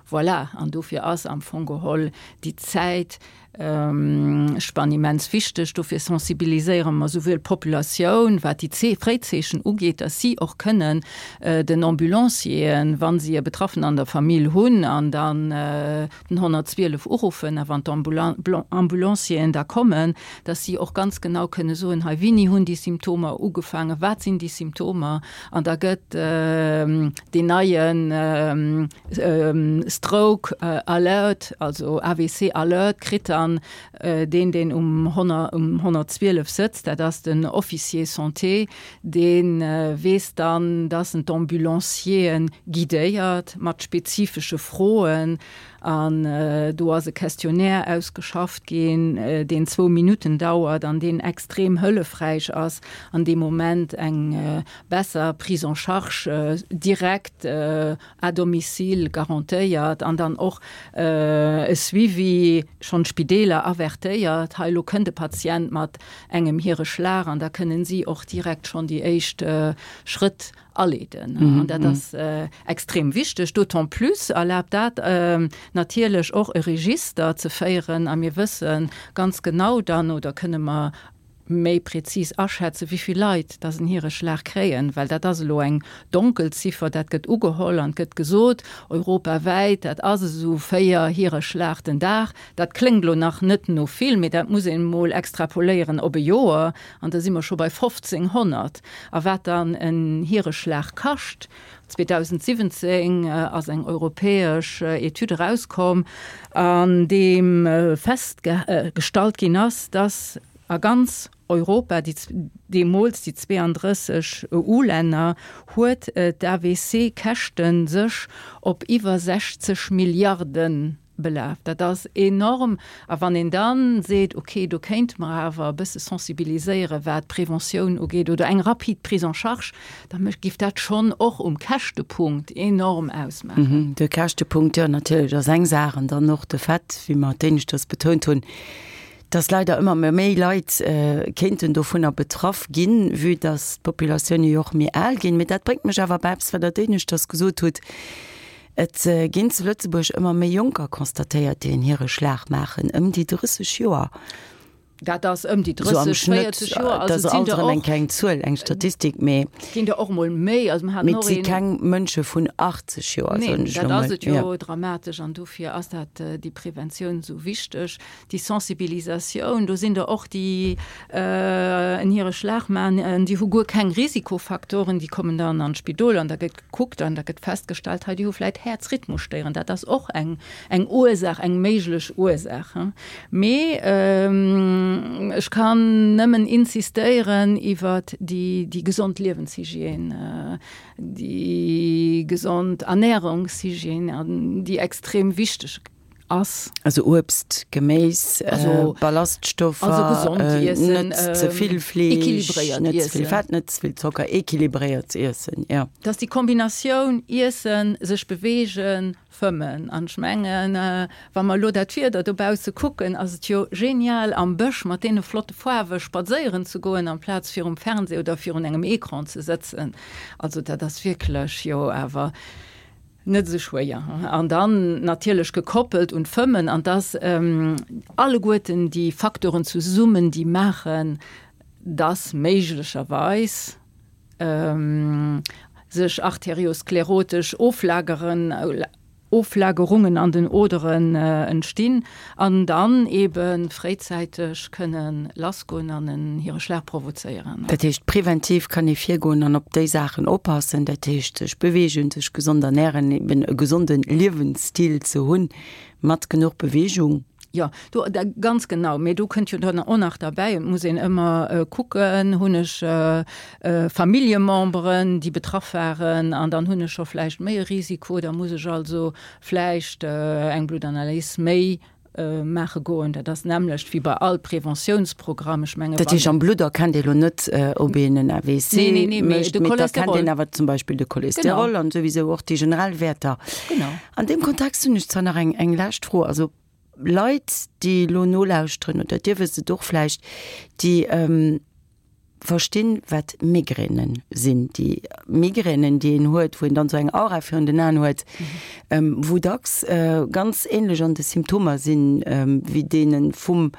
voilà. An dofir ass am Fong geholl déi Zäit, Spann immens wichteg. Dofir sensibiliséiere mer souwuel d'Populatioun, wat déi Fréizeechen ugeet, dass si och kënnen den Ambulancieren, wa si e Betraffenen an der Famill hunn, an dann den 112 uruffen, a wann d'Ambulancieren da kommen, dass si och ganz genau kënne soen, hei wéini hunn déi Symptomer ugefaangen, wat sinn déi Symptomer, an da gëtt deen neien Stroke Alert, also AVC Alert kritt dann deen, deen um 112 sëtzt, dat ass den Officier Santé, dee weess dann, dass en d'Ambulancieren guidéiert mat spezifesche Froen. An do ass e Questionnaire ausgeschafft ginn, deen zwou Minutten dauert an deen extrem hëllefräich ass, an deem Moment eng besser Prise en charge direkt à domicile garantéiert an dann och e Suivi, schonn d'Spideeler avertéiert, hei elo kënnt e Patient mat engem Hireschlag an da kënnen si och direkt schonn déi éischt Schrëtt aleeden. An dat ass extrem wichteg. D'autant plus erlaabt dat natierlech och e Register ze féieren a mir wësse ganz genau dann oder kënne mer méi prezis aschätzen, wéi vill Leit dass en Hireschlag kréien, well dat ass elo eng Donkelziffer, dat gëtt ugeholl an et gëtt gesot, europawäit, dat ass esou 4 Hireschlag den Dag. Dat kléngt elo nach net no vill, mee dat muss een emol extrapoléieren op e Joer an da si mer scho bei 1.500. A wat dann en Hireschlag kascht, 2017 ass eng europäesch Etüd erauskomm, an deem festgestallt ginn ass, dass a ganz Europa, déi deemools déi 32 EU-Länner, huet d'AVC-Käschte sech op iwwer 60 Milliarden belaf. Dat ass enorm. A wann een da seet, okay, do kéinte mer awer e bësse sensibiliséieren, wat d'Preventioun ugeet oder eng rapid Prise en charge, da géif dat schonn och um Käschtepunkt enorm ausmaachen. De Käschtepunkt, jo, natierlech ass eng Saach. An dann och de Fait, wéi mer d'éineschters betount hunn, dass leider ëmmer méi Leit kéinten dovunner betraff ginn, vue dass d'Populatioune jo och méi al ginn. Mee dat bréngt mech awer bei eppes, wat Der d'éineschters gesot hutt, Et ginn zu Lëtzebuerg ëmmer méi Jonker constatéiert, déi en Hireschlag maachen, ëm déi 30 Joer. Dat ass ëm déi 30, 40 Joer. Dat ass alt erëm eng kleng Zuel, eng Statistik, mee. Et ginn der och emol méi. Also mer haten och een. Mee et si keng Mënsche vun 80 Joer, soen ech elo mol. Nee, dat ass et jo dramatesch an dofir ass dat, déi Preventioun esou wichteg, déi Sensibilisatioun. Do sinn der och, déi en Hireschlag maachen, déi hu guer keng Risikofaktoren, déi kommen dann an d'Spidol an da gëtt Kuckt an da gëtt festgestallt, hei déi hu vläit Häerzrhythmusstéieren. Dat ass och eng, eng Ursaach, eng méiglech Ursaach. Mee ech kann nëmmen insistéieren iwwert déi, déi gesond Liewenshygiène, déi gesond Ernährungshygiène, an déi extrem wichteg ass. Also Uebst, Geméis, Ballaststoffer, also gesond iessen, net ze vill Fleesch, net ze vill Fett, net ze vill Zocker, equilibréiert iessen, jo. Dass déi Kombinatioun iessen, sech beweegen, fëmmen. An ech mengen, wa mer elo dat Wieder dobausse kucken, ass et jo genial am Bësch mat deene flotte Faarwe spadséieren ze goen, amplaz virum Fernseh oder virun engem Ecran ze sëtzen. Also dat ass wierklech jo awer Net esou schwéier. An dann natierlech gekoppelt un d'Fëmmen. An dass alleguerten déi Facteuren zesummen, déi maachen, dass méiglecherweis sech arteriosklerotesch Oflageren, Oflagerungen an den Oderen entstinn an dann ebe fréizäiteg kënne lassgoen an en hire Schlag provozéieren. Dat heescht, preventiv kann ee virgoen an op déi Saachen oppassen, dat heescht sech beweegen, sech gesond ernären, eben e gesonde Liewensstil ze hunn mat genuch Beweegung. Jo, do, ganz genau. Mee do kënnt jo dann och nach derbäi, et muss een ëmmer kucken, hunn ech Familljememberen, déi betraff waren, an dann hunn ech scho vläicht méi e Risiko, da muss ech also vläicht eng Bluttanalys méi maache goen. Dat ass d'nämmlecht wéi bei all Preventiounsprogramm. Ech menge Dat heescht, am Blutt erkennt ee lo net, ob een en AVC Nee, nee, nee, mee mécht, de mee et erkennt Cholesterol. een awer zum Beispill de Cholesterol Genau. an souwisou och déi generell Wäerter. Genau. An deem Kontext hunn ech zwar nach eng, eng lescht Fro. Also Leit, déi elo nolauschteren, oder Dir wësst et och vläicht, déi verstinn, wat Migränen sinn, déi Migränen, déi een huet, wou een dann esou eng Aura virun den Aen huet, wou dacks ganz ähnlech an de Symptomer sinn, wéi deene vum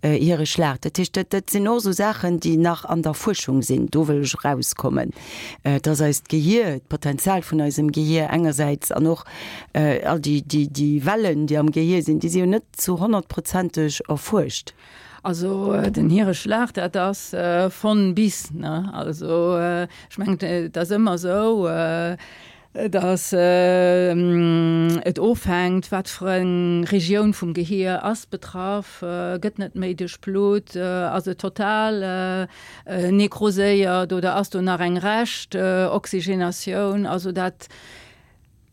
hire Schlag. Dat heescht, dat, dat sinn och esou Saachen, déi nach an der Fuerschung sinn. Do wëll ech erauskommen, dass eist Gehier, d'Potenzial vun eisem Gehier engersäits an och all déi, déi, déi Wellen, déi am Gehier sinn, déi si jo net zu honnertprozenteg erfuerscht. Also den Hireschlag, dat ass von bis, ne? Also ech mengen, et ass ëmmer esou, datt et ofhänkt, wat fir eng Regioun vum Gehier ass betraff, gëtt net méi duerchblutt, ass et total nekroséiert oder ass do nach eng Rescht Oxygenatioun. Also dat,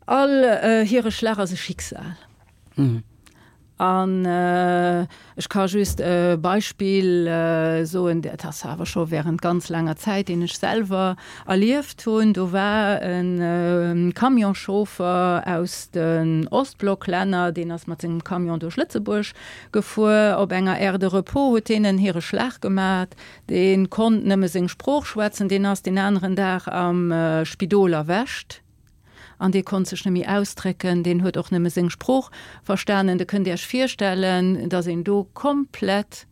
all Hireschlag ass e Schicksal. An ech ka just e Beispill soen, dat ass awer scho während ganz laanger Zäit, deen ech selwer erlieft hunn. Do war e Camionschauffer aus den Ostblocklänner, deen ass mat sengem Camion duerch Lëtzebuerg gefuer. Op enger Aire de repos huet deen en Hireschlag gemat. Dee konnt nëmme seng Sprooch schwätzen. Deen ass deen aneren Dag am Spidol erwächt. An dee konnt sech net méi ausdrécken, deen huet och nëmme seng Sprooch verstanen. Der kënnt Iech virstellen, datt een do komplett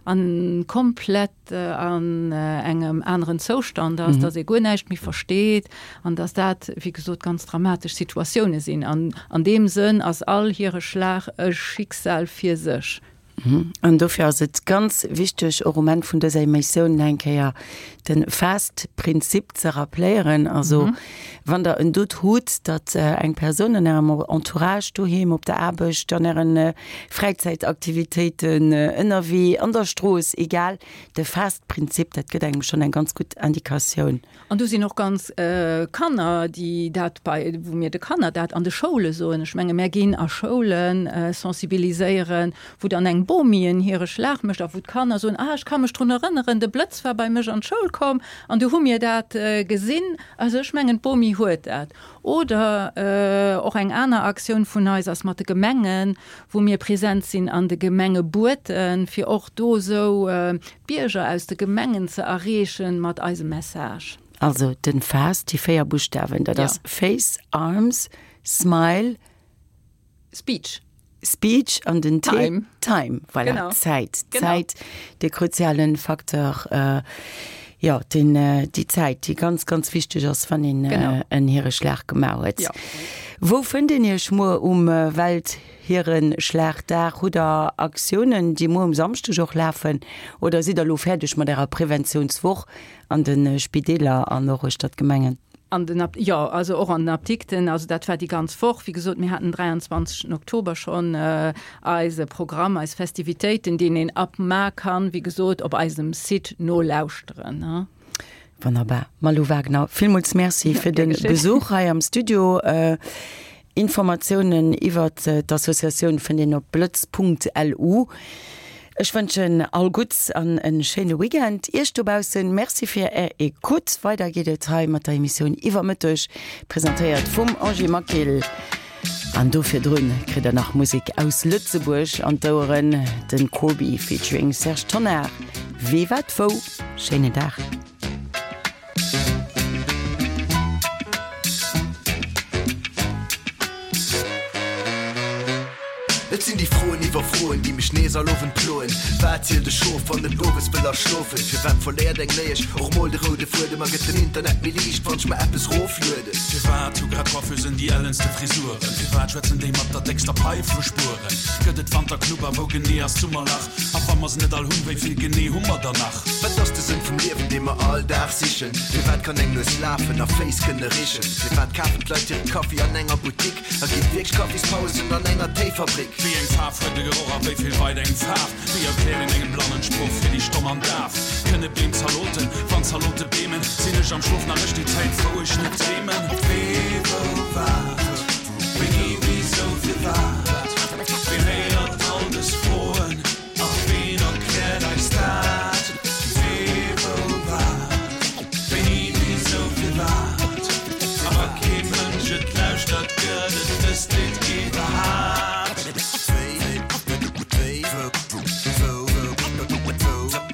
an komplett an engem aneren Zoustand ass, datt ee guer näischt méi versteet an datt dat, wéi gesot, ganz dramatesch Situatioune sinn. An an deem Sënn ass all hire Schlag e Schicksal fir sech. An dofir ass et ganz wichteg, och um Enn vun dëser Emissioun nach eng Kéier de FAST-Prinzip ze rappléieren. Also, wann Der en Doute hutt, datt eng Persoun an Ärem Entourage, doheem, op der Aarbecht, an Äre Fräizäitaktivitéiten, ënnerwee, an der Strooss, egal, de FAST-Prinzip, dat gëtt engem schonn eng ganz gutt Indikatioun. An do sinn och ganz Kanner, déi dat bei, wou mir de Kanner dat an de Schoule soen. Ech menge mär ginn a Schoule sensibiliséieren, wou dann eng Bomi en hire Schlag mécht a wou d'Kanner soen, ah ech ka mech drun erënneren, de Blëtz war bei mech an d'Schoul komm an du hu mir dat gesinn. Also ech mengen d'Bomi huet dat. Oder och eng aner Aktioun vun eis ass mat de Gemengen, wou mir present sinn an de Gemengebueten, fir och do esou d'Bierger aus de Gemengen ze erreechen mat eisem Message. Also den FAST, déi 4 Buschtawen, dat ass Face, Arms, Smile, Speech. Speech an den T, Time. Time, voilà, genau. Zäit. Genau. Zäit, de kruzialen Facteur, äh, jo, den, äh, déi Zäit, déi ganz, ganz wichteg ass, wann een äh, en Hireschlag gemaach huet. Ja. Wou fënnt een Iech muer um äh, Welthierenschlagdag? Hutt Der Aktiounen, déi muer um Samschdeg och lafen? Oder sidd Der elo fäerdeg mat Ärer Preventiounswoch an de Spideeler an och uechter d'Gemengen? An den Ap-, jo, also och an den Apdikten. Also dat war déi ganz Woch. Wéi gesot, mir haten den 23. Oktober schonn eise Programm, eis Festivitéiten, deen een ab mar kann, wéi gesot, op eisem Site nolauschteren. Wonnerbar. Malou Wagner, villmools Merci fir de Besuch hei am Studio. Informatiounen iwwert d'Associatioun fënnt een op blëtz.lu. Ech wënschen all Gutts an en schéine Weekend Iech dobaussen. Merci fir Är Ecoute. Weider geet et hei mat der Emissioun Iwwer Mëtteg, presentéiert vum Angie Maquil. An do virdrun kritt der nach Musek aus Lëtzebuerg an d'Oueren, den Corbi featuring Serge Tonnar, Wee wat wou. Schéinen Dag. Et sinn déi Froen iwwer Froen, déi mech nees all Owend ploen. Wat zielt e Schof, wann et owes wëll aschlofen? Firwat verléiert eng Léiesch och mol de roude Fuedem? A gëtt den Internet méi liicht, wann ech mer eppes roflueden? Firwat hu grad Coiffeusen déi ellenste Frisuren? Firwat schwätzen déi mat der déckster Paif vu Spueren? Gëtt et Wanterknupper? Wou genee ass d'Summerlach? A wa mer se net all hunn, wéi vill genee hu mer der nach? Wat ass de Sënn vum Liewen, dee mer all Dag sichen? Firwat kann eng Nues lafen a Féiss kënne richen? Firwat kafen d'Leit hire Kaffi an enger Boutique? A ginn wierklech Kaffispausen an enger Téifabrik? Wéi eng Faarf huet de Geroch a wéi vill weit eng Faarf? Wéi erkläert een engem Blannen d'Sprooch fir déi Stomm an Daf? Kënne Beem Zaloten, wann Zalote beemen? Sinn ech am Schlof nach ech déi Zäit wou ech net dreemen? Wee, wou, wat, wéini, wisou, firwat? Ween héiert all dës Froen? A ween erkläert eis dat? Wee, wou, wat, wéini, wisou, firwat? A wa kee Mënsch et lauschtert, gëtt et dëst Lidd iwwerhaapt? Wéi, wou, wou, wat,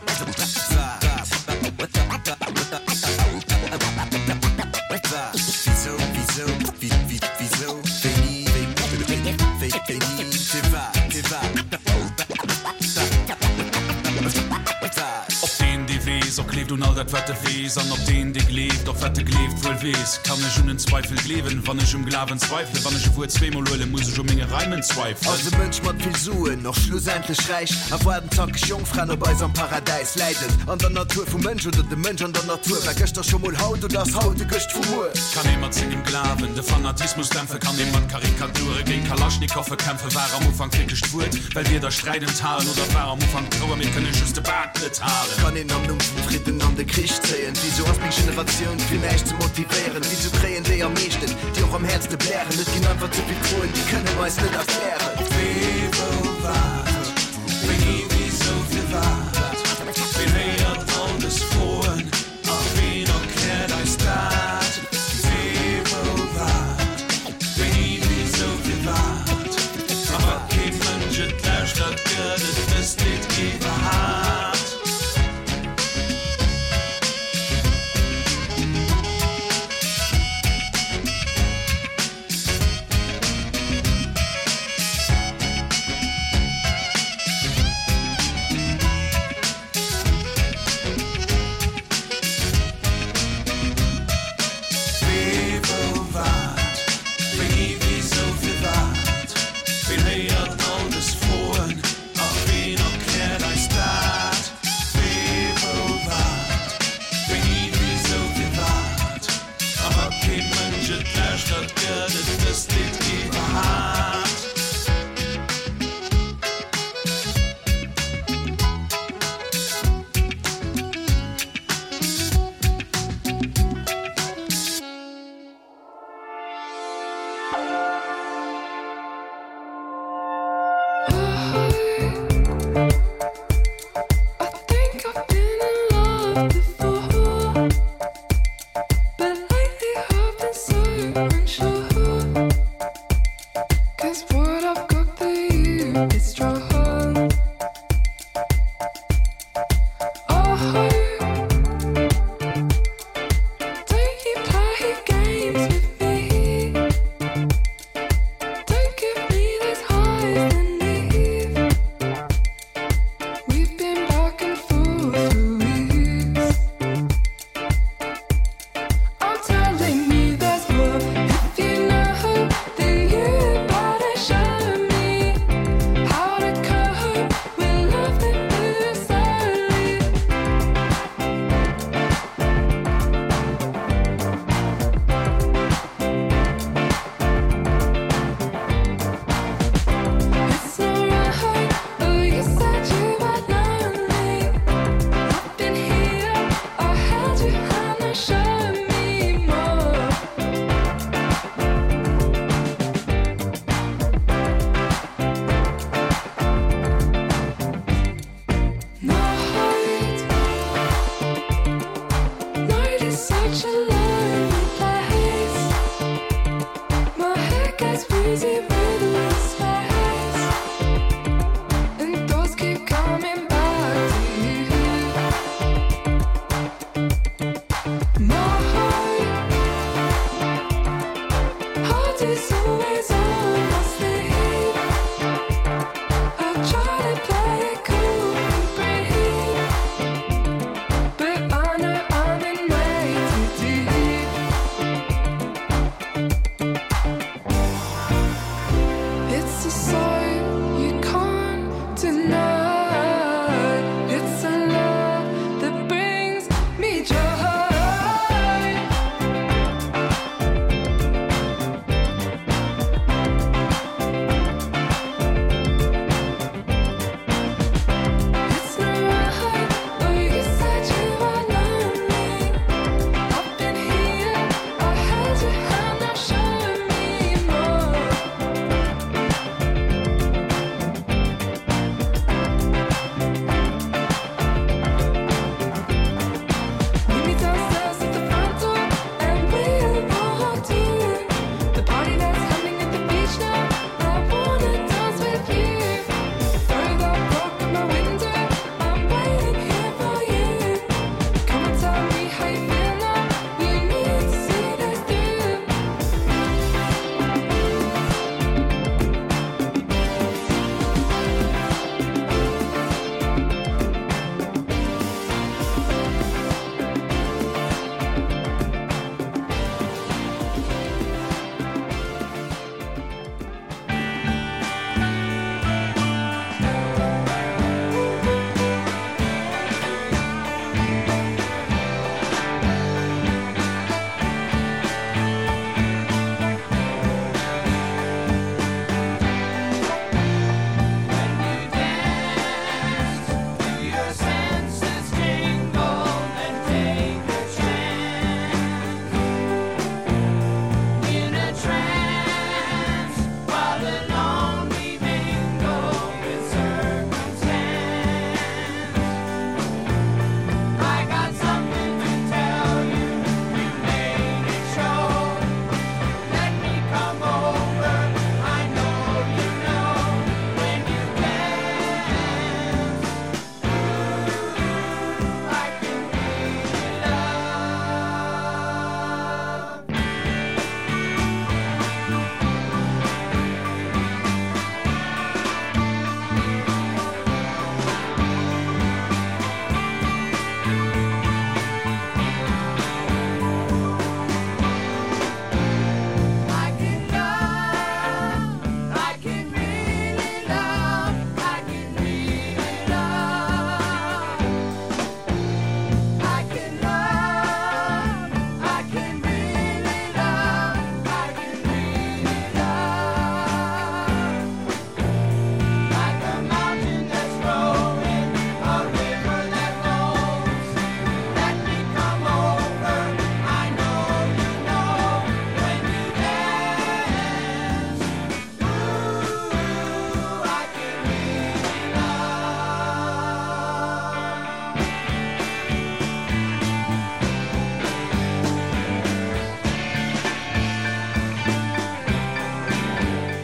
wisou, wisou, wisou, wéini, wéini, firwat, firwat? Op deen, dee weess, och gleeft un all dat, wat e weess, an op deen, dee gleeft, och wat e gleeft, wuel weess. Kann ech un en Zweifel gleewen, wann ech um Glawen zweifelen? Wann ech e Wuert zweemol huelen, muss ech u menge Reimen zweifelen? Ass e Mënsch mat vill Suen och schlussendlech räich? A waarden zackeg Jongfraen op eis am Paradäis? Läit et an der Natur vum Mënsch oder dem Mënsch an der Natur? War gëschter scho mol haut oder ass haut de Gëscht vu muer? Kann ee mat sengem Glawen de Fanatismus dämpfen? Kann ee mat Karikature géint Kalaschnikowe kämpfen? War am Ufank wierklech d'Wuert, well Wierder Sträit enthalen? Oder war am Ufank d'Trauer, mir kënne just de Bak net halen? Kann een am Numm vum Fridden. an de Krich zéien? Wisou ass meng Generatioun fir näischt ze motivéieren? Wisou kréien déi am meeschten, déi och am häertste blären? Et ginn einfach ze vill Froen, déi kënne mer eis net erklären. Wee, wou, wat?